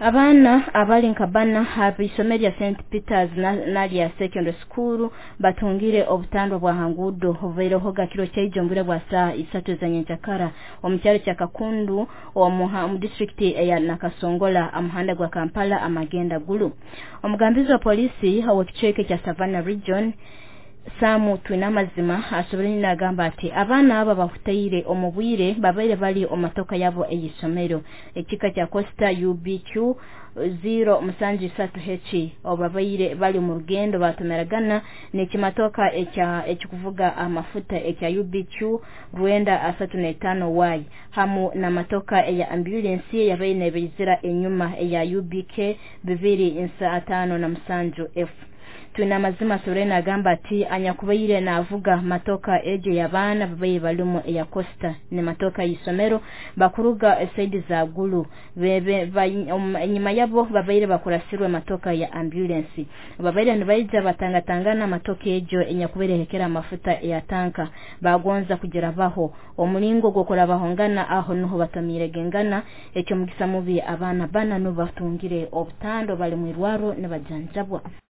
Abaana abali nka bana ab'isomero lya St Peters Nalya Secondary School batungire obutandwa bwa hangudo obubairehoga kiro kyaijo omu bwire bwa saaha 3 ez'enyenkyakara omu kyaro kya Kakundu omu disitulikiti eya Nakasongola amuhanda gwa Kampala amagenda Gulu. Omugambizi wa polisi ow'ekicweka ekya Savannah Region Samu Twinamazima asoboire nagamba ati abaana aba bahutaire omu bwire babaire bali omu matoka yabo ey'isomero ekika kya Costa UBQ 073H obabaire bali mu rugendo batomeragana n'ekimatoka ekikuvuga amafuta ekya UBQ 935Y hamu n'amatoka eya ambulensi eyabaire nebeizira enyuma eya UBK 257F. Twinamazima asoboire nagamba ati anyakubaire navuga matoka egyo y'abaana babaire balimu eya Costa ni matoka y'isomero bakuruga esaidi za Gulu enyuma yabo babaire bakurasirwe matoka ya ambulensi babaire nibaija batangatangana matoka egyo enyakubaire ehekera amafuta eya tanka bagonza kugirabaho omulingo gw'okurabahongana aho nuho batomiregengana ekyomugisa mubi abaana bana nubo batungire obutando bali mwirwaro nibajanjabwa.